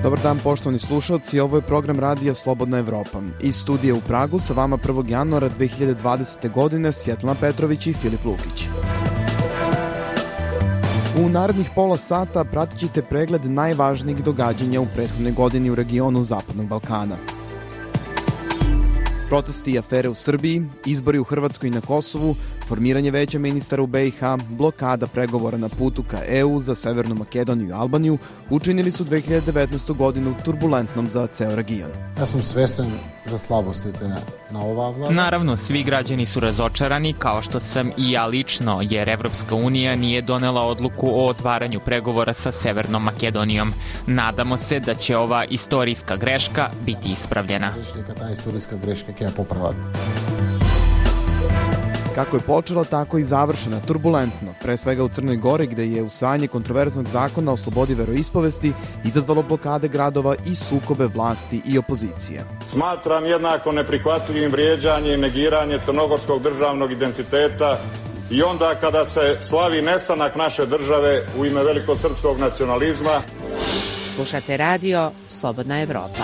Dobar dan, poštovani slušalci, ovo je program radija Slobodna Evropa. Iz studija u Pragu sa vama 1. januara 2020. godine Svjetlana Petrović i Filip Lukić. U narednih pola sata pratit ćete pregled najvažnijih događanja u prethodnoj godini u regionu Zapadnog Balkana. Protesti i afere u Srbiji, izbori u Hrvatskoj i na Kosovu, formiranje veća ministara u BiH, blokada pregovora na putu ka EU za Severnu Makedoniju i Albaniju učinili su 2019. godinu turbulentnom za ceo region. Ja sam svesen za slabosti na ova vlada. Naravno, svi građani su razočarani, kao što sam i ja lično, jer Evropska unija nije donela odluku o otvaranju pregovora sa Severnom Makedonijom. Nadamo se da će ova istorijska greška biti ispravljena. Ta istorijska greška je popravati. Kako je počela, tako i završena turbulentno, pre svega u Crnoj Gori, gde je usvajanje kontroverznog zakona o slobodi veroispovesti izazvalo blokade gradova i sukobe vlasti i opozicije. Smatram jednako neprihvatljivim vrijeđanje i negiranje crnogorskog državnog identiteta i onda kada se slavi nestanak naše države u ime velikosrpskog nacionalizma. Slušate radio Slobodna Evropa.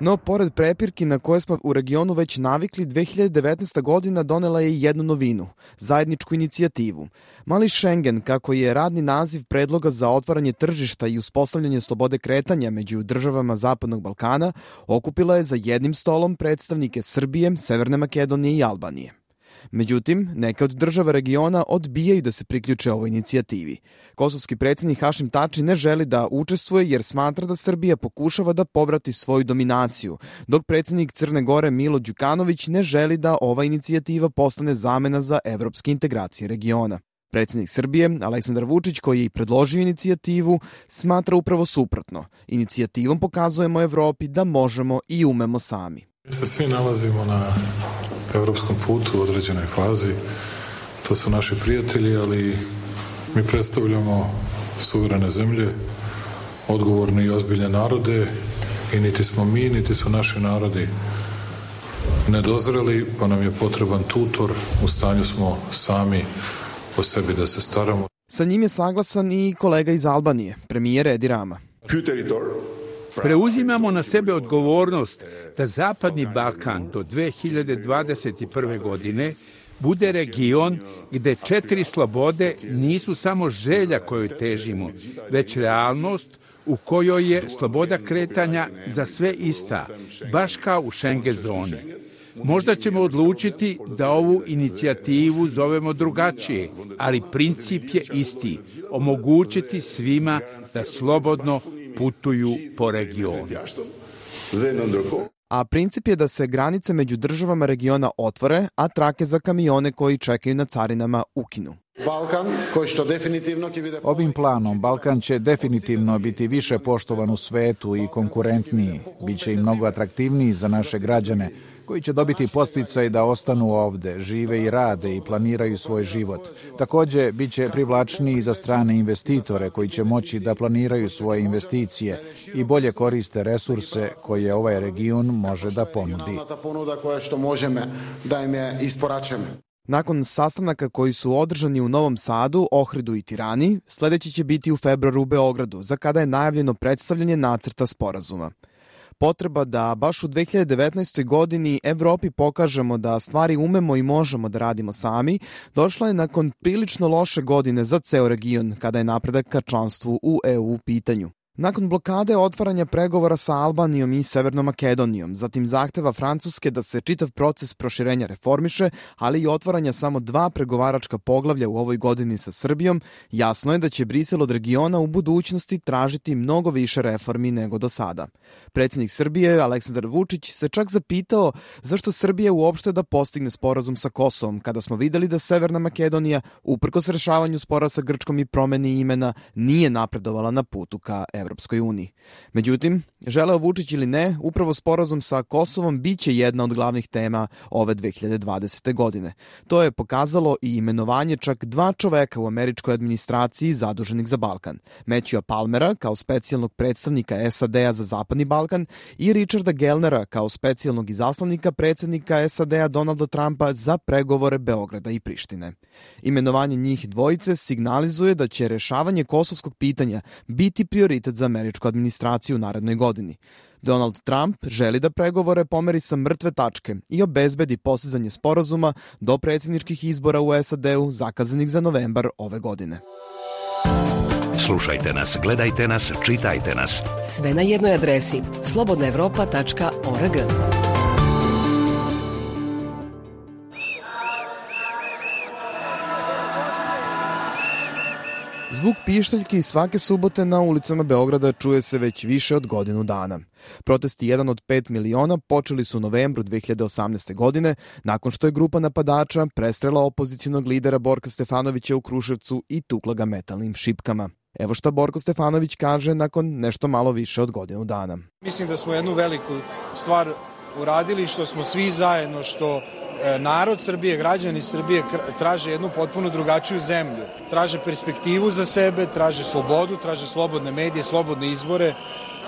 No, pored prepirki na koje smo u regionu već navikli, 2019. godina donela je i jednu novinu, zajedničku inicijativu. Mali Schengen, kako je radni naziv predloga za otvaranje tržišta i uspostavljanje slobode kretanja među državama Zapadnog Balkana, okupila je za jednim stolom predstavnike Srbije, Severne Makedonije i Albanije. Međutim, neke od država regiona odbijaju da se priključe ovoj inicijativi. Kosovski predsjednik Hašim Tači ne želi da učestvuje jer smatra da Srbija pokušava da povrati svoju dominaciju, dok predsjednik Crne Gore Milo Đukanović ne želi da ova inicijativa postane zamena za evropske integracije regiona. Predsjednik Srbije, Aleksandar Vučić, koji je i predložio inicijativu, smatra upravo suprotno. Inicijativom pokazujemo Evropi da možemo i umemo sami. Mi se svi nalazimo na evropskom putu u određenoj fazi. To su naši prijatelji, ali mi predstavljamo suverene zemlje, odgovorne i ozbiljne narode i niti smo mi, niti su naši narodi nedozreli, pa nam je potreban tutor. U stanju smo sami o sebi da se staramo. Sa njim je saglasan i kolega iz Albanije, premijer Edi Rama. Preuzimamo na sebe odgovornost da Zapadni Balkan do 2021. godine bude region gde 4 slobode nisu samo želja kojoj težimo, već realnost u kojoj je sloboda kretanja za sve ista, baš kao u Schengen zoni. Možda ćemo odlučiti da ovu inicijativu zovemo drugačije, ali princip je isti, omogućiti svima da slobodno putuju po regionu. A princip je da se granice među državama regiona otvore, a trake za kamione koji čekaju na carinama ukinu. Ovim planom Balkan će definitivno biti više poštovan u svetu i konkurentniji. Biće i mnogo atraktivniji za naše građane, koji će dobiti podsticaj da ostanu ovde, žive i rade i planiraju svoj život. Takođe, bit će privlačniji za strane investitore koji će moći da planiraju svoje investicije i bolje koriste resurse koje ovaj region može da ponudi. Nakon sastanaka koji su održani u Novom Sadu, Ohridu i Tirani, sledeći će biti u februaru u Beogradu, za kada je najavljeno predstavljanje nacrta sporazuma. Potreba da baš u 2019. godini Evropi pokažemo da stvari umemo i možemo da radimo sami, došla je nakon prilično loše godine za ceo region, kada je napredak ka članstvu u EU u pitanju. Nakon blokade otvaranja pregovora sa Albanijom i Severnom Makedonijom, zatim zahteva Francuske da se čitav proces proširenja reformiše, ali i otvaranja samo 2 pregovaračka poglavlja u ovoj godini sa Srbijom, jasno je da će Brisel od regiona u budućnosti tražiti mnogo više reformi nego do sada. Predsjednik Srbije, Aleksandar Vučić, se čak zapitao zašto Srbija uopšte da postigne sporazum sa Kosovom, kada smo videli da Severna Makedonija, uprkos rešavanju spora sa Grčkom i promeni imena, nije napredovala na putu ka Evropskoj uniji. Međutim, želeo Vučić ili ne, upravo sporazum sa Kosovom biće jedna od glavnih tema ove 2020. godine. To je pokazalo i imenovanje čak 2 čoveka u američkoj administraciji zaduženih za Balkan. Matthewa Palmera kao specijalnog predstavnika SAD-a za Zapadni Balkan i Richarda Gellnera kao specijalnog izaslanika predsjednika SAD-a Donalda Trumpa za pregovore Beograda i Prištine. Imenovanje njih dvojice signalizuje da će rešavanje kosovskog pitanja biti prioritet za američku administraciju u narednoj godini. Donald Trump želi da pregovore pomeri sa mrtve tačke i obezbedi postizanje sporazuma do predsjedničkih izbora u SAD-u zakazanih za novembar ove godine. Slušajte nas, gledajte nas, čitajte nas. Sve na jednoj adresi slobodnaevropa.org. Zvuk pištaljki svake subote na ulicama Beograda čuje se već više od godinu dana. Protesti 1 od 5 miliona počeli su u novembru 2018. godine, nakon što je grupa napadača prestrela opozicionog lidera Borka Stefanovića u Kruševcu i tukla ga metalnim šipkama. Evo šta Borko Stefanović kaže nakon nešto malo više od godinu dana. Mislim da smo jednu veliku stvar uradili, što smo svi zajedno, što narod Srbije, građani Srbije traže jednu potpuno drugačiju zemlju. Traže perspektivu za sebe, traže slobodu, traže slobodne medije, slobodne izbore.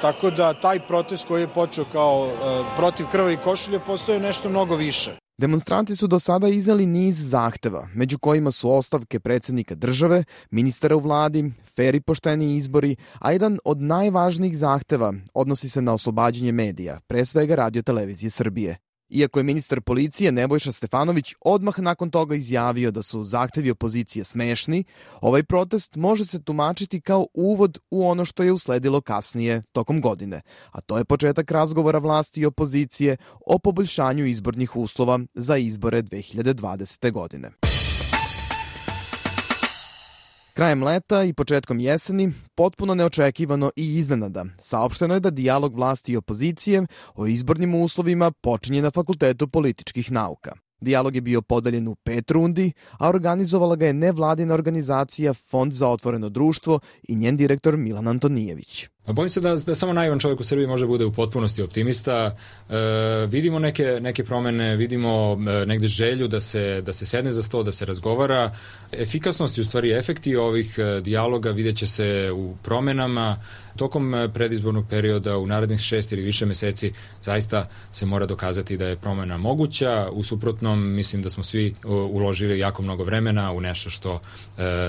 Tako da taj protest koji je počeo kao protiv krvavih košulja postoje nešto mnogo više. Demonstranti su do sada izneli niz zahteva, među kojima su ostavke predsjednika države, ministara u vladi, fer i pošteni izbori, a jedan od najvažnijih zahteva odnosi se na oslobađanje medija, pre svega Radio-televizije Srbije. Iako je ministar policije Nebojša Stefanović odmah nakon toga izjavio da su zahtevi opozicije smešni, ovaj protest može se tumačiti kao uvod u ono što je usledilo kasnije tokom godine, a to je početak razgovora vlasti i opozicije o poboljšanju izbornih uslova za izbore 2020. godine. Krajem leta i početkom jeseni, potpuno neočekivano i iznenada, saopšteno je da dijalog vlasti i opozicije o izbornim uslovima počinje na Fakultetu političkih nauka. Dijalog je bio podeljen u 5 rundi, a organizovala ga je nevladina organizacija Fond za otvoreno društvo i njen direktor Milan Antonijević. Bojim se da samo naivan čovjek u Srbiji može bude u potpunosti optimista. Vidimo neke promene, vidimo negde želju da se sedne za sto, da se razgovara. Efikasnost i u stvari efekti ovih dijaloga vidjet će se u promenama. Tokom predizbornog perioda u narednih 6 ili više meseci zaista se mora dokazati da je promena moguća. U suprotnom, mislim da smo svi uložili jako mnogo vremena u nešto što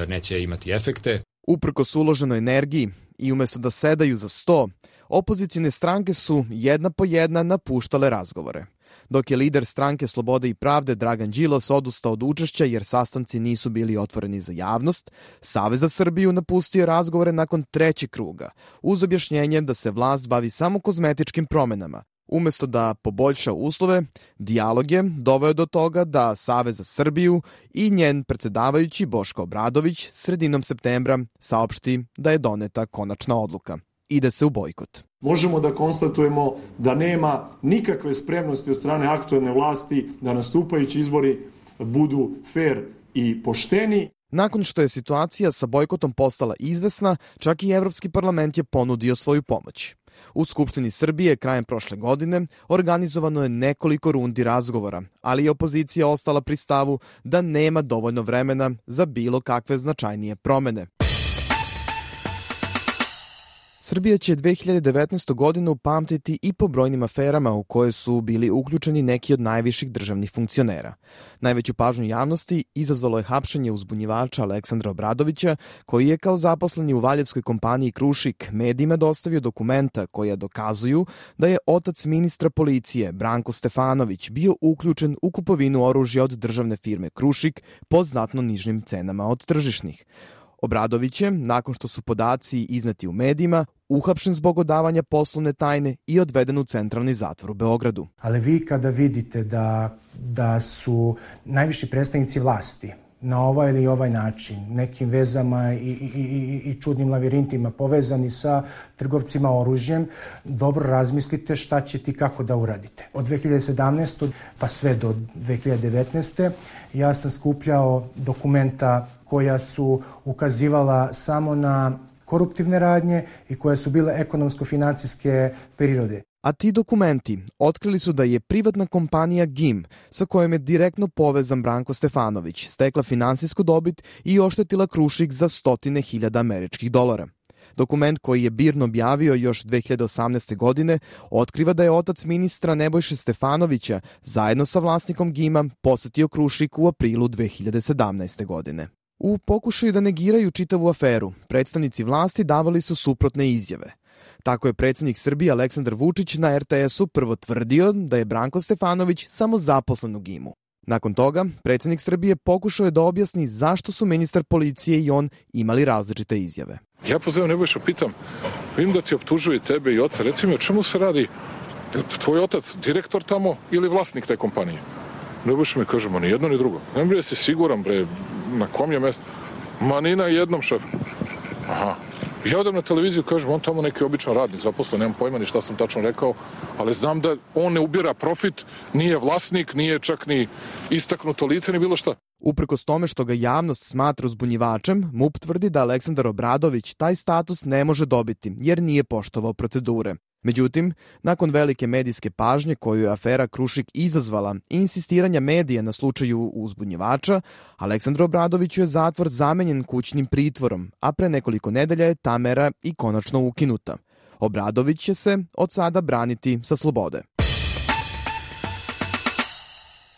neće imati efekte. Uprkos uloženoj energiji i umesto da sedaju za sto, opozicijne stranke su jedna po jedna napuštale razgovore. Dok je lider stranke Slobode i pravde Dragan Đilas odustao od učešća jer sastanci nisu bili otvoreni za javnost, Savez za Srbiju napustio razgovore nakon 3. kruga, uz objašnjenje da se vlast bavi samo kozmetičkim promenama. Umesto da poboljša uslove, dijalog je doveo do toga da Savez za Srbiju i njen predsjedavajući Boško Obradović sredinom septembra saopšti da je doneta konačna odluka. Ide se u bojkot. Možemo da konstatujemo da nema nikakve spremnosti od strane aktuelne vlasti da nastupajući izbori budu fer i pošteni. Nakon što je situacija sa bojkotom postala izvesna, čak i Evropski parlament je ponudio svoju pomoć. U Skupštini Srbije krajem prošle godine organizovano je nekoliko rundi razgovora, ali je opozicija ostala pri stavu da nema dovoljno vremena za bilo kakve značajnije promene. Srbija će 2019. godinu pamtiti i po brojnim aferama u koje su bili uključeni neki od najviših državnih funkcionera. Najveću pažnju javnosti izazvalo je hapšenje uzbunjivača Aleksandra Obradovića, koji je kao zaposleni u valjevskoj kompaniji Krušik medijima dostavio dokumenta koja dokazuju da je otac ministra policije Branko Stefanović bio uključen u kupovinu oružja od državne firme Krušik po znatno nižim cenama od tržišnih. Obradović je, nakon što su podaci izneti u medijima, uhapšen zbog odavanja poslovne tajne i odveden u centralni zatvor u Beogradu. Ali vi kada vidite da su najviši predstavnici vlasti na ovaj ili ovaj način, nekim vezama i čudnim lavirintima povezani sa trgovcima oružjem, dobro razmislite šta ćete i kako da uradite. Od 2017. pa sve do 2019. ja sam skupljao dokumenta koja su ukazivala samo na koruptivne radnje i koje su bile ekonomsko-financijske prirode. A ti dokumenti otkrili su da je privatna kompanija GIM, sa kojom je direktno povezan Branko Stefanović, stekla finansijsku dobit i oštetila Krušik za $100.000 američkih dolara. Dokument koji je BIRN objavio još 2018. godine otkriva da je otac ministra Nebojše Stefanovića zajedno sa vlasnikom GIM-a posetio Krušik u aprilu 2017. godine. U pokušaju da negiraju čitavu aferu, predstavnici vlasti davali su suprotne izjave. Tako je predsjednik Srbije Aleksandar Vučić na RTS-u prvo tvrdio da je Branko Stefanović samo zaposlen u GIM-u. Nakon toga, predsjednik Srbije pokušao je da objasni zašto su ministar policije i on imali različite izjave. Ja pozivam Nebojša, pitam, vidim da ti optužuje tebe i oca, reci mi o čemu se radi, tvoj otac direktor tamo ili vlasnik te kompanije? Nebojša mi kaže, ma ni jedno ni drugo. Ne bre, si siguran, bre, na kom je mjestu? Ma ni na jednom, šef. Aha. Ja odem na televiziju, kažem, on tamo neki običan radnik, zaposlen, nemam pojma ni šta sam tačno rekao, ali znam da on ne ubira profit, nije vlasnik, nije čak ni istaknuto lice, ni bilo šta. Uprkos tome što ga javnost smatra uzbunjivačem, MUP tvrdi da Aleksandar Obradović taj status ne može dobiti, jer nije poštovao procedure. Međutim, nakon velike medijske pažnje koju je afera Krušik izazvala i insistiranja medija na slučaju uzbunjivača, Aleksandru Obradoviću je zatvor zamenjen kućnim pritvorom, a pre nekoliko nedelja je ta mera i konačno ukinuta. Obradović će se od sada braniti sa slobode.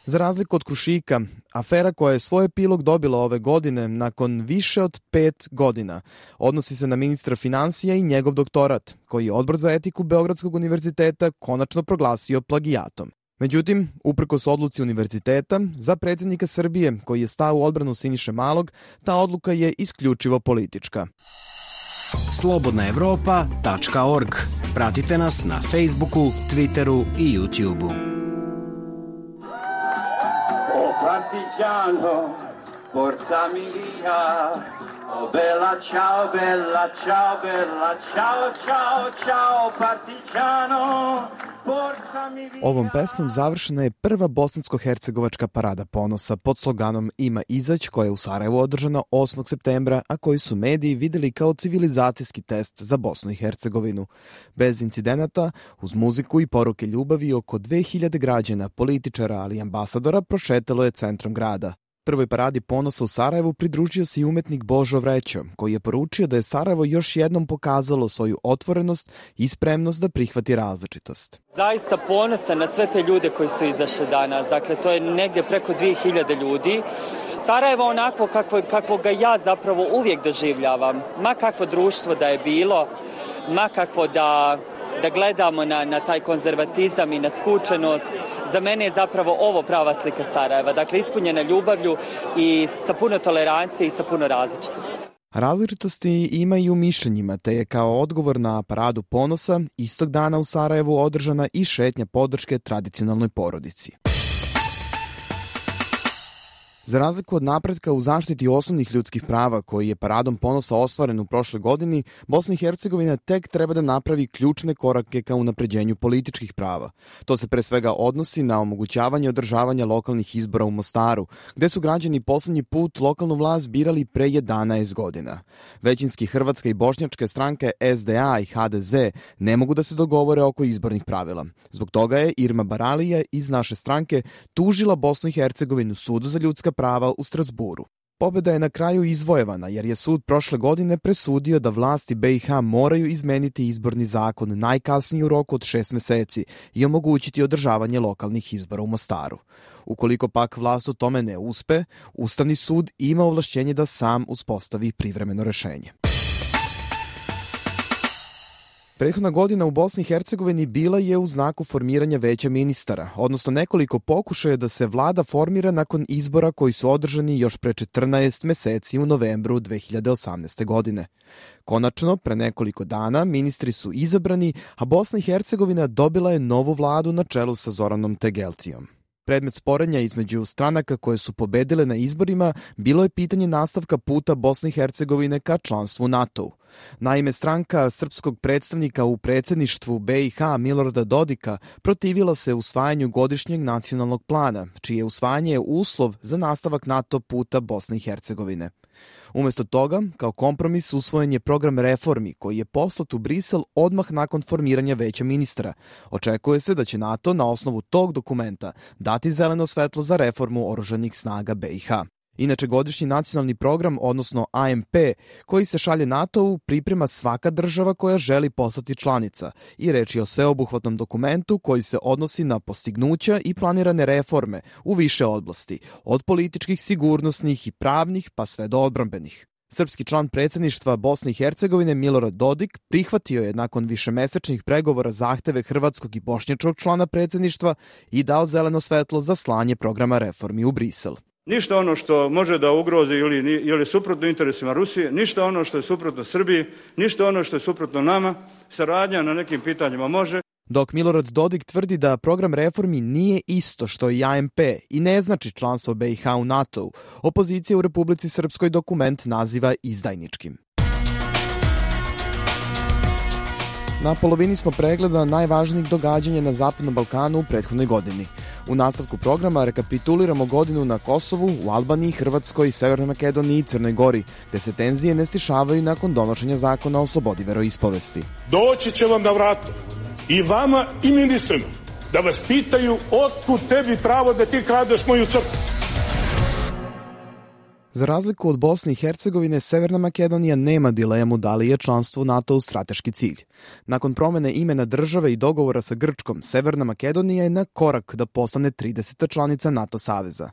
Za razliku od Krušika, afera koja je svoj epilog dobila ove godine nakon više od 5 godina odnosi se na ministra finansija i njegov doktorat, koji je Odbor za etiku Beogradskog univerziteta konačno proglasio plagijatom. Međutim, uprkos odluci univerziteta, za predsjednika Srbije, koji je stao u odbranu Siniše Malog, ta odluka je isključivo politička. Slobodnaevropa.org. Pratite nas na Facebooku, Twitteru i YouTubeu. Partigiano, portami via, oh bella ciao, bella ciao, bella ciao, ciao, ciao, partigiano, portami via. Ovom pesmom završena je prva bosansko-hercegovačka parada ponosa pod sloganom Ima izać, koja je u Sarajevu održana 8. septembra, a koji su mediji videli kao civilizacijski test za Bosnu i Hercegovinu. Bez incidenata, uz muziku i poruke ljubavi, oko 2000 građana, političara, ali i ambasadora prošetalo je centrom grada. Prvoj paradi ponosa u Sarajevu pridružio se i umetnik Božo Vrećo, koji je poručio da je Sarajevo još jednom pokazalo svoju otvorenost i spremnost da prihvati različitost. Zaista ponosan na sve te ljude koji su izašli danas. Dakle, to je negdje preko 2000 ljudi. Sarajevo onako kakvo ga ja zapravo uvijek doživljavam. Ma kakvo društvo da je bilo, ma kakvo da gledamo na taj konzervatizam i na skučenost. Za mene je zapravo ovo prava slika Sarajeva. Dakle, ispunjena ljubavlju i sa puno tolerancije i sa puno različitosti. Različitosti ima i u mišljenjima, te je kao odgovor na paradu ponosa istog dana u Sarajevu održana i šetnja podrške tradicionalnoj porodici. Za razliku od napretka u zaštiti osnovnih ljudskih prava koji je paradom ponosa ostvaren u prošloj godini, Bosna i Hercegovina tek treba da napravi ključne korake ka unapređenju političkih prava. To se pre svega odnosi na omogućavanje održavanja lokalnih izbora u Mostaru, gde su građani poslednji put lokalnu vlast birali pre 11 godina. Većinski hrvatske i bošnjačke stranke SDA i HDZ ne mogu da se dogovore oko izbornih pravila. Zbog toga je Irma Baralija iz naše stranke tužila Bosnu i Hercegovinu sudu za ljudska prava u Strasburu. Pobeda je na kraju izvojevana jer je sud prošle godine presudio da vlasti BiH moraju izmeniti izborni zakon najkasnije u roku od 6 meseci i omogućiti održavanje lokalnih izbora u Mostaru. Ukoliko pak vlast u tome ne uspe, Ustavni sud ima ovlašćenje da sam uspostavi privremeno rešenje. Prethodna godina u Bosni i Hercegovini bila je u znaku formiranja veća ministara, odnosno nekoliko pokušaja da se vlada formira nakon izbora koji su održani još pre 14 meseci u novembru 2018. godine. Konačno, pre nekoliko dana, ministri su izabrani, a Bosna i Hercegovina dobila je novu vladu na čelu sa Zoranom Tegeltijom. Predmet sporenja između stranaka koje su pobedile na izborima bilo je pitanje nastavka puta Bosne i Hercegovine ka članstvu NATO-u. Naime, stranka srpskog predstavnika u predsjedništvu BiH Milorada Dodika protivila se usvajanju godišnjeg nacionalnog plana, čije usvajanje je uslov za nastavak NATO puta Bosne i Hercegovine. Umjesto toga, kao kompromis usvojen je program reformi koji je poslat u Brisel odmah nakon formiranja veća ministra. Očekuje se da će NATO na osnovu tog dokumenta dati zeleno svetlo za reformu oružanih snaga BiH. Inače, godišnji nacionalni program, odnosno AMP, koji se šalje NATO-u, priprema svaka država koja želi postati članica i reč je o sveobuhvatnom dokumentu koji se odnosi na postignuća i planirane reforme u više oblasti, od političkih, sigurnosnih i pravnih pa sve do odbrambenih. Srpski član predsjedništva Bosne i Hercegovine Milorad Dodik prihvatio je nakon višemesečnih pregovora zahteve hrvatskog i bošnjačkog člana predsjedništva i dao zeleno svetlo za slanje programa reformi u Brisel. Ništa ono što može da ugrozi ili je suprotno interesima Rusije, ništa ono što je suprotno Srbiji, ništa ono što je suprotno nama, saradnja na nekim pitanjima može. Dok Milorad Dodik tvrdi da program reformi nije isto što i AMP i ne znači članstvo BiH u NATO-u, opozicija u Republici Srpskoj dokument naziva izdajničkim. Na polovini smo pregleda najvažnijih događanja na Zapadnom Balkanu u prethodnoj godini. U nastavku programa rekapituliramo godinu na Kosovu, u Albaniji, Hrvatskoj, Severnoj Makedoniji i Crnoj Gori, gde se tenzije ne stišavaju nakon donošenja zakona o slobodi veroispovesti. Doći će vam na vrata i vama i ministrima da vas pitaju otkud tebi pravo da ti kradeš moju crkvu. Za razliku od Bosne i Hercegovine, Severna Makedonija nema dilemu da li je članstvo u NATO-u strateški cilj. Nakon promene imena države i dogovora sa Grčkom, Severna Makedonija je na korak da postane 30. članica NATO saveza.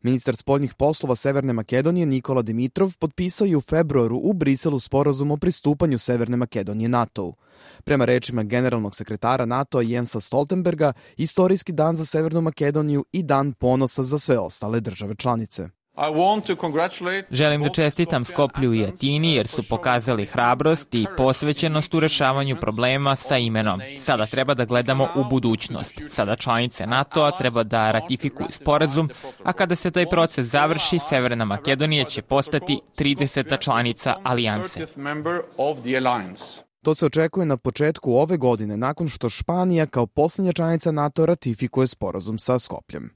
Ministar spoljnih poslova Severne Makedonije Nikola Dimitrov potpisao je u februaru u Briselu sporazum o pristupanju Severne Makedonije NATO-u. Prema rečima generalnog sekretara NATO-a Jensa Stoltenberga, istorijski dan za Severnu Makedoniju i dan ponosa za sve ostale države članice. Želim da čestitam Skoplju i Atini jer su pokazali hrabrost i posvećenost u rešavanju problema sa imenom. Sada treba da gledamo u budućnost. Sada članice NATO-a treba da ratifikuju sporazum, a kada se taj proces završi, Severna Makedonija će postati 30. članica alijanse. To se očekuje na početku ove godine, nakon što Španija kao posljednja članica NATO ratifikuje sporazum sa Skopljem.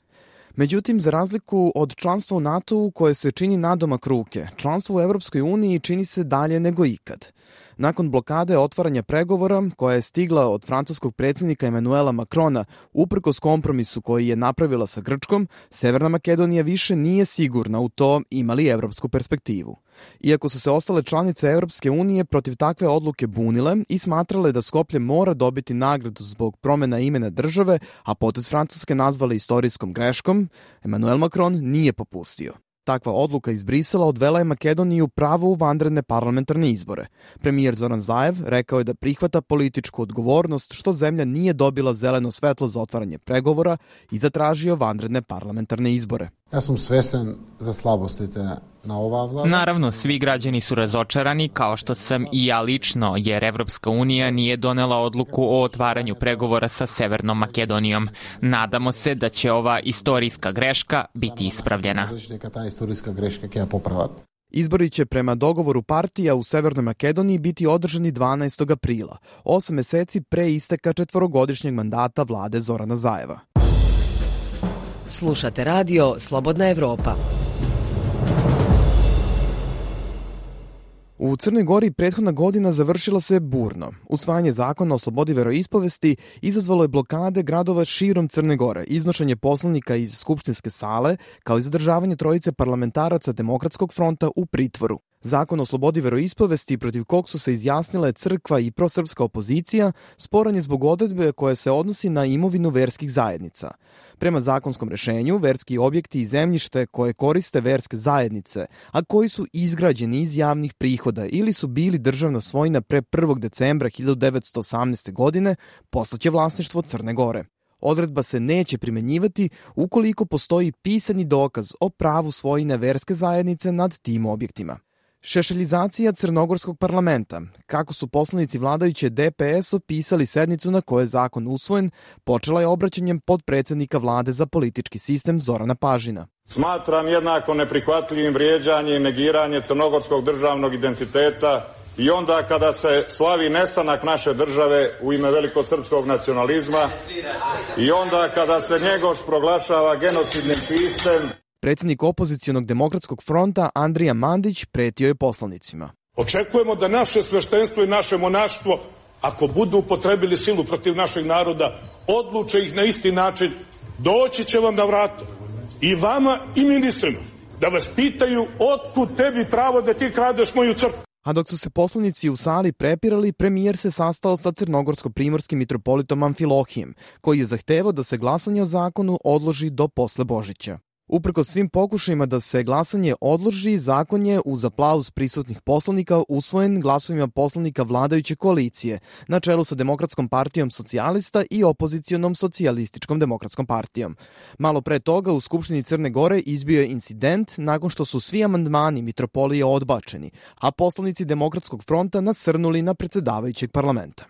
Međutim, za razliku od članstva u NATO-u koje se čini nadomak ruke, članstvo u Evropskoj uniji čini se dalje nego ikad. Nakon blokade otvaranja pregovora, koja je stigla od francuskog predsjednika Emanuela Macrona, uprkos kompromisu koji je napravila sa Grčkom, Severna Makedonija više nije sigurna u to ima li evropsku perspektivu. Iako su se ostale članice Evropske unije protiv takve odluke bunile i smatrale da Skoplje mora dobiti nagradu zbog promjena imena države, a potez Francuske nazvale istorijskom greškom, Emanuel Macron nije popustio. Takva odluka iz Brisela odvela je Makedoniju pravo u vanredne parlamentarne izbore. Premijer Zoran Zaev rekao je da prihvata političku odgovornost što zemlja nije dobila zeleno svetlo za otvaranje pregovora i zatražio vanredne parlamentarne izbore. Ja sam svesen za slabosti na ova vlada. Naravno, svi građani su razočarani, kao što sam i ja lično, jer Evropska unija nije donela odluku o otvaranju pregovora sa Severnom Makedonijom. Nadamo se da će ova istorijska greška biti ispravljena. Izbori će prema dogovoru partija u Severnoj Makedoniji biti održani 12. aprila, 8 meseci pre isteka 4-godišnjeg mandata vlade Zorana Zaeva. Slušate radio Slobodna Evropa. U Crnoj Gori prethodna godina završila se burno. Usvajanje zakona o slobodi veroispovesti izazvalo je blokade gradova širom Crne Gore, iznošenje poslanika iz skupštinske sale, kao i zadržavanje trojice parlamentaraca Demokratskog fronta u pritvoru. Zakon o slobodi veroispovesti protiv kog su se izjasnile crkva i prosrpska opozicija sporan je zbog odredbe koja se odnosi na imovinu verskih zajednica. Prema zakonskom rešenju, verski objekti i zemljište koje koriste verske zajednice, a koji su izgrađeni iz javnih prihoda ili su bili državna svojina pre 1. decembra 1918. godine, postaće vlasništvo Crne Gore. Odredba se neće primenjivati ukoliko postoji pisani dokaz o pravu svojine verske zajednice nad tim objektima. Šešeljizacija crnogorskog parlamenta. Kako su poslanici vladajuće DPS opisali sednicu na kojoj je zakon usvojen, počela je obraćanjem podpredsednika vlade za politički sistem Zorana Pažina. Smatram jednako neprihvatljivim vrijeđanje i negiranje crnogorskog državnog identiteta i onda kada se slavi nestanak naše države u ime velikosrpskog nacionalizma i onda kada se Njegoš proglašava genocidnim piscem. Predsjednik opozicionog Demokratskog fronta Andrija Mandić pretio je poslanicima. Očekujemo da naše sveštenstvo i naše monaštvo, ako budu upotrebili silu protiv našeg naroda, odluče ih na isti način, doći će vam na vrata i vama i ministrima da vas pitaju otkud tebi pravo da ti kradeš moju crkvu. A dok su se poslanici u sali prepirali, premijer se sastao sa crnogorsko-primorskim mitropolitom Amfilohijem, koji je zahtevao da se glasanje o zakonu odloži do posle Božića. Uprkos svim pokušajima da se glasanje odloži, zakon je uz aplauz prisutnih poslanika usvojen glasovima poslanika vladajuće koalicije na čelu sa Demokratskom partijom socijalista i opozicionom Socijalističkom demokratskom partijom. Malo pre toga u Skupštini Crne Gore izbio je incident nakon što su svi amandmani mitropolije odbačeni, a poslanici Demokratskog fronta nasrnuli na predsedavajućeg parlamenta.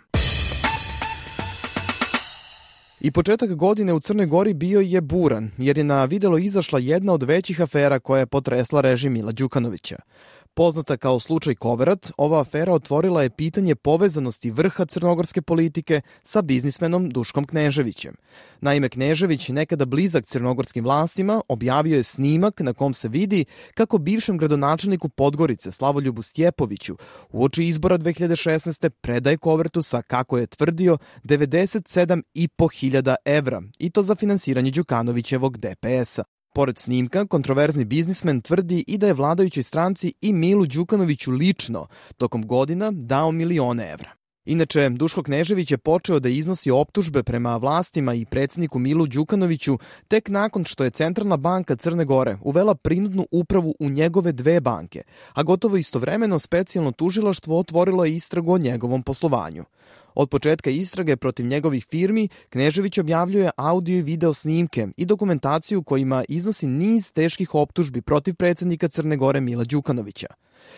I početak godine u Crnoj Gori bio je buran, jer je na videlo izašla jedna od većih afera koja je potresla režim Mila Đukanovića. Poznata kao slučaj Koverat, ova afera otvorila je pitanje povezanosti vrha crnogorske politike sa biznismenom Duškom Kneževićem. Naime, Knežević, nekada blizak crnogorskim vlastima, objavio je snimak na kom se vidi kako bivšem gradonačelniku Podgorice Slavoljubu Stjepoviću uoči izbora 2016. predaje Kovertu sa, kako je tvrdio, 97.500 evra, i to za finansiranje Đukanovićevog DPS-a. Pored snimka, kontroverzni biznismen tvrdi i da je vladajućoj stranci i Milu Đukanoviću lično tokom godina dao milione evra. Inače, Duško Knežević je počeo da iznosi optužbe prema vlastima i predsjedniku Milu Đukanoviću tek nakon što je Centralna banka Crne Gore uvela prinudnu upravu u njegove 2 banke, a gotovo istovremeno specijalno tužilaštvo otvorilo je istragu o njegovom poslovanju. Od početka istrage protiv njegovih firmi, Knežević objavljuje audio i video snimke i dokumentaciju kojima iznosi niz teških optužbi protiv predsjednika Crne Gore Mila Đukanovića.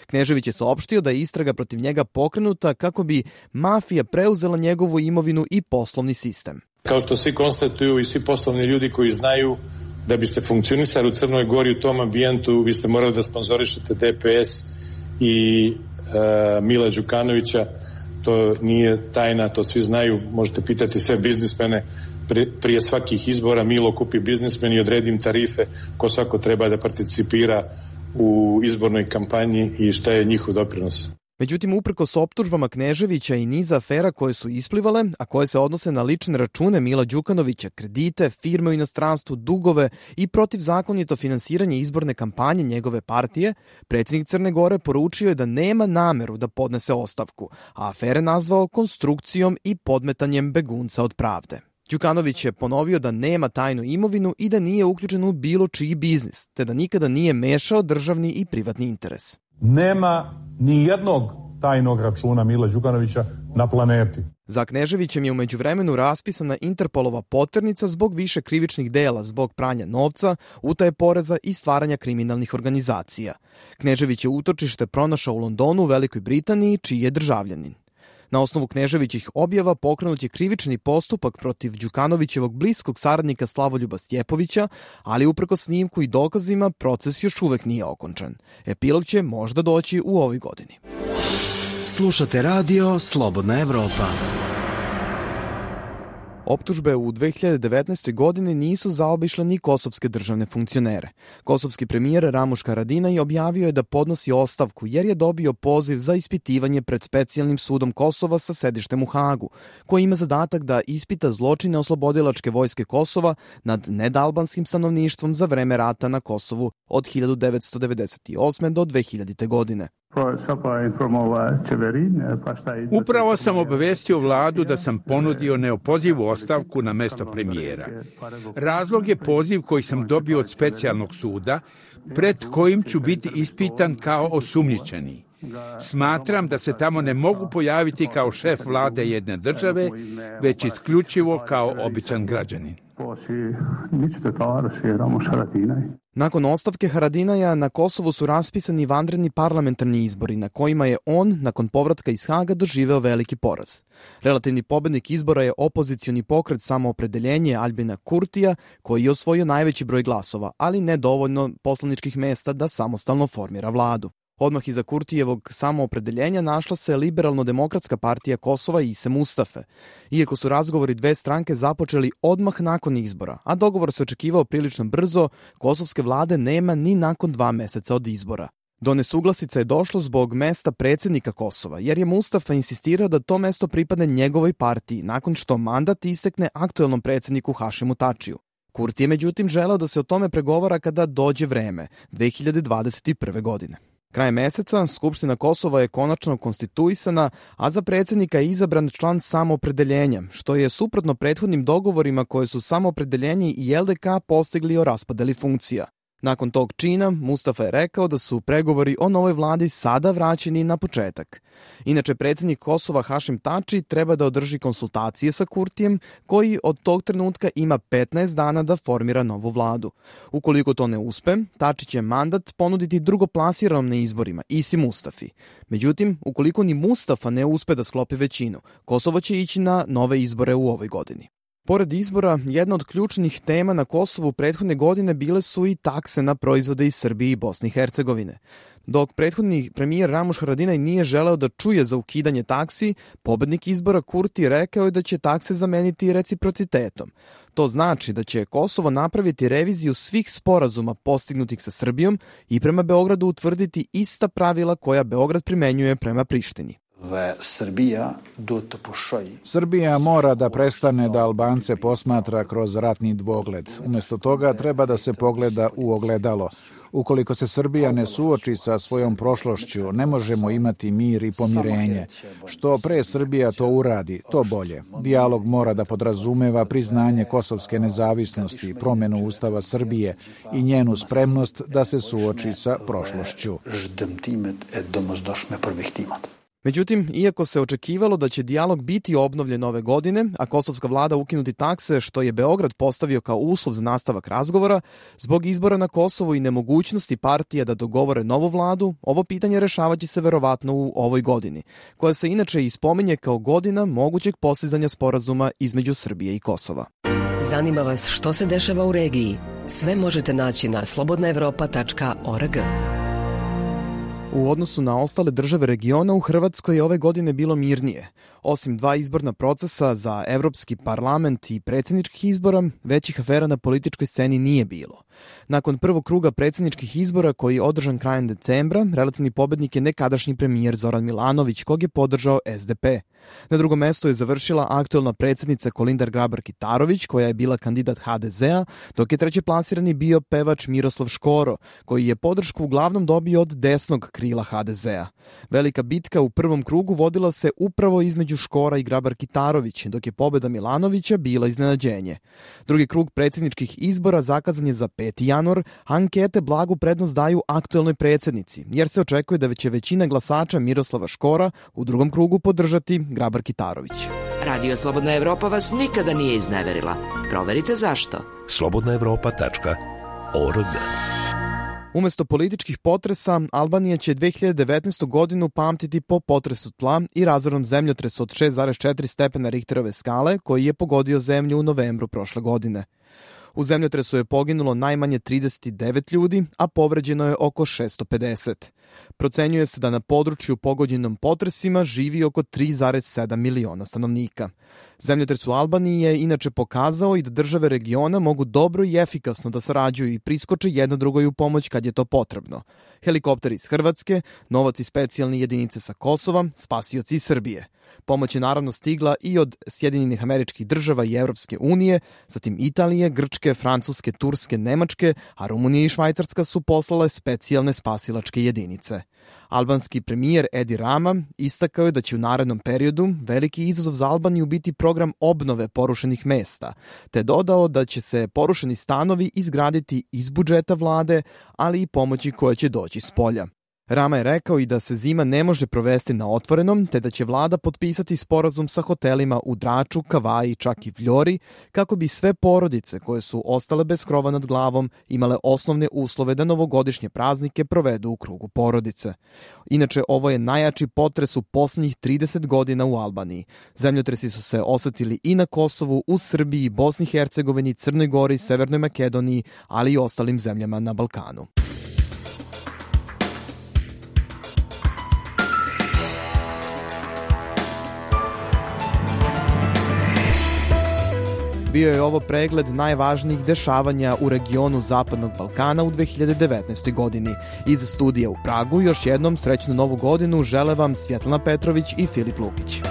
Knežević je saopštio da je istraga protiv njega pokrenuta kako bi mafija preuzela njegovu imovinu i poslovni sistem. Kao što svi konstatuju i svi poslovni ljudi koji znaju, da biste funkcionisali u Crnoj Gori u tom ambijentu, vi ste morali da sponzorišete DPS i Mila Đukanovića. To nije tajna, to svi znaju, možete pitati sve biznismene prije svakih izbora. Milo kupi biznismen i odredi im tarife ko svako treba da participira u izbornoj kampanji i šta je njihov doprinos. Međutim, uprkos optužbama Kneževića i niza afera koje su isplivale, a koje se odnose na lične račune Mila Đukanovića, kredite, firme u inostranstvu, dugove i protivzakonito finansiranje izborne kampanje njegove partije, predsjednik Crne Gore poručio je da nema nameru da podnese ostavku, a afere nazvao konstrukcijom i podmetanjem begunca od pravde. Đukanović je ponovio da nema tajnu imovinu i da nije uključen u bilo čiji biznis, te da nikada nije mešao državni i privatni interes. Nema ni jednog tajnog računa Mila Đukanovića na planeti. Za Kneževićem je u međuvremenu raspisana Interpolova poternica zbog više krivičnih dela, zbog pranja novca, utaje poreza i stvaranja kriminalnih organizacija. Knežević je utočište pronašao u Londonu, u Velikoj Britaniji, čiji je državljanin. Na osnovu Kneževićih objava pokrenut je krivični postupak protiv Đukanovićevog bliskog saradnika Slavoljuba Stjepovića, ali uprkos snimku i dokazima proces još uvek nije okončan. Epilog će možda doći u ovoj godini. Slušate radio Slobodna Evropa. Optužbe u 2019. godini nisu zaobišle ni kosovske državne funkcionere. Kosovski premijer Ramuš Haradinaj objavio je da podnosi ostavku jer je dobio poziv za ispitivanje pred specijalnim sudom Kosova sa sedištem u Hagu, koji ima zadatak da ispita zločine oslobodilačke vojske Kosova nad nedalbanskim stanovništvom za vreme rata na Kosovu od 1998. do 2000. godine. Upravo sam obavestio vladu da sam ponudio neopozivu ostavku na mesto premijera. Razlog je poziv koji sam dobio od specijalnog suda, pred kojim ću biti ispitan kao osumnjičeni. Smatram da se tamo ne mogu pojaviti kao šef vlade jedne države, već isključivo kao običan građanin. Nakon ostavke Haradinaja na Kosovu su raspisani vanredni parlamentarni izbori na kojima je on, nakon povratka iz Haga, doživeo veliki poraz. Relativni pobednik izbora je opozicioni pokret Samoopredeljenje Albina Kurtija, koji je osvojio najveći broj glasova, ali ne dovoljno poslaničkih mesta da samostalno formira vladu. Odmah iza Kurtijevog samoopredeljenja našla se Liberalno-demokratska partija Kosova i Ise Mustafe. Iako su razgovori 2 stranke započeli odmah nakon izbora, a dogovor se očekivao prilično brzo, kosovske vlade nema ni nakon 2 meseca od izbora. Do nesuglasica je došlo zbog mesta predsjednika Kosova, jer je Mustafa insistirao da to mesto pripadne njegovoj partiji, nakon što mandat istekne aktuelnom predsjedniku Hašimu Tačiju. Kurti je međutim želeo da se o tome pregovara kada dođe vreme, 2021. godine. Krajem meseca Skupština Kosova je konačno konstituisana, a za predsjednika je izabran član Samoopredeljenja, što je suprotno prethodnim dogovorima koje su Samoopredeljenje i LDK postigli o raspodeli funkcija. Nakon tog čina, Mustafa je rekao da su pregovori o novoj vladi sada vraćeni na početak. Inače, predsjednik Kosova Hašim Tači treba da održi konsultacije sa Kurtijem, koji od tog trenutka ima 15 dana da formira novu vladu. Ukoliko to ne uspe, Tači će mandat ponuditi drugoplasiranom na izborima, Isi Mustafi. Međutim, ukoliko ni Mustafa ne uspe da sklopi većinu, Kosovo će ići na nove izbore u ovoj godini. Pored izbora, jedna od ključnih tema na Kosovu prethodne godine bile su i takse na proizvode iz Srbije i Bosne i Hercegovine. Dok prethodni premijer Ramuš Haradinaj nije želeo da čuje za ukidanje taksi, pobednik izbora Kurti rekao je da će takse zameniti reciprocitetom. To znači da će Kosovo napraviti reviziju svih sporazuma postignutih sa Srbijom i prema Beogradu utvrditi ista pravila koja Beograd primenjuje prema Prištini. Srbija mora da prestane da Albance posmatra kroz ratni dvogled. Umjesto toga treba da se pogleda u ogledalo. Ukoliko se Srbija ne suoči sa svojom prošlošću, ne možemo imati mir i pomirenje. Što pre Srbija to uradi, to bolje. Dijalog mora da podrazumeva priznanje kosovske nezavisnosti, promjenu Ustava Srbije i njenu spremnost da se suoči sa prošlošću. Međutim, iako se očekivalo da će dijalog biti obnovljen ove godine, a kosovska vlada ukinuti takse što je Beograd postavio kao uslov za nastavak razgovora, zbog izbora na Kosovu i nemogućnosti partija da dogovore novu vladu, ovo pitanje rešavaće se verovatno u ovoj godini, koja se inače i spominje kao godina mogućeg postizanja sporazuma između Srbije i Kosova. Zanima vas što se dešava u regiji? Sve možete naći na slobodnaevropa.org. U odnosu na ostale države regiona, u Hrvatskoj je ove godine bilo mirnije. Osim 2 izborna procesa za Evropski parlament i predsjedničkih izbora, većih afera na političkoj sceni nije bilo. Nakon prvog kruga predsjedničkih izbora koji je održan krajem decembra, relativni pobednik je nekadašnji premijer Zoran Milanović, kog je podržao SDP. Na drugom mestu je završila aktuelna predsjednica Kolindar Grabar-Kitarović, koja je bila kandidat HDZ-a, dok je trećeplasirani bio pevač Miroslav Škoro, koji je podršku uglavnom dobio od desnog krila HDZ-a. Velika bitka u prvom krugu vodila se upravo između Škora i Grabar-Kitarović, dok je pobeda Milanovića bila iznenađenje. Drugi krug predsjedničkih izbora zakazan je za 5. januar, a ankete blagu prednost daju aktuelnoj predsjednici, jer se očekuje da će većina glasača Miroslava Škora u drugom krugu podržati Grabar-Kitarović. Radio Slobodna Evropa vas nikada nije izneverila. Proverite zašto. slobodnaevropa.org. Umesto političkih potresa, Albanija će 2019. godinu pamtiti po potresu tla i razornom zemljotresu od 6,4 stepena Richterove skale koji je pogodio zemlju u novembru prošle godine. U zemljotresu je poginulo najmanje 39 ljudi, a povređeno je oko 650. Procenjuje se da na području pogođenom potresima živi oko 3,7 miliona stanovnika. Zemljotres u Albaniji je inače pokazao i da države regiona mogu dobro i efikasno da sarađuju i priskoče jedna drugoj u pomoć kad je to potrebno. Helikopteri iz Hrvatske, novac i specijalne jedinice sa Kosova, spasioci iz Srbije. Pomoć je naravno stigla i od Sjedinjenih Američkih Država i Evropske unije, zatim Italije, Grčke, Francuske, Turske, Nemačke, a Rumunija i Švajcarska su poslale specijalne spasilačke jedinice. Albanski premijer Edi Rama istakao je da će u narednom periodu veliki izazov za Albaniju biti program obnove porušenih mesta, te dodao da će se porušeni stanovi izgraditi iz budžeta vlade, ali i pomoći koja će doći s polja. Rama je rekao i da se zima ne može provesti na otvorenom, te da će vlada potpisati sporazum sa hotelima u Draču, Kavaji, čak i Vljori, kako bi sve porodice koje su ostale bez krova nad glavom imale osnovne uslove da novogodišnje praznike provedu u krugu porodice. Inače, ovo je najjači potres u poslednjih 30 godina u Albaniji. Zemljotresi su se osetili i na Kosovu, u Srbiji, Bosni i Hercegovini, Crnoj Gori, Severnoj Makedoniji, ali i ostalim zemljama na Balkanu. Bio je ovo pregled najvažnijih dešavanja u regionu Zapadnog Balkana u 2019. godini. Iz studija u Pragu još jednom srećnu novu godinu žele vam Svjetlana Petrović i Filip Lukić.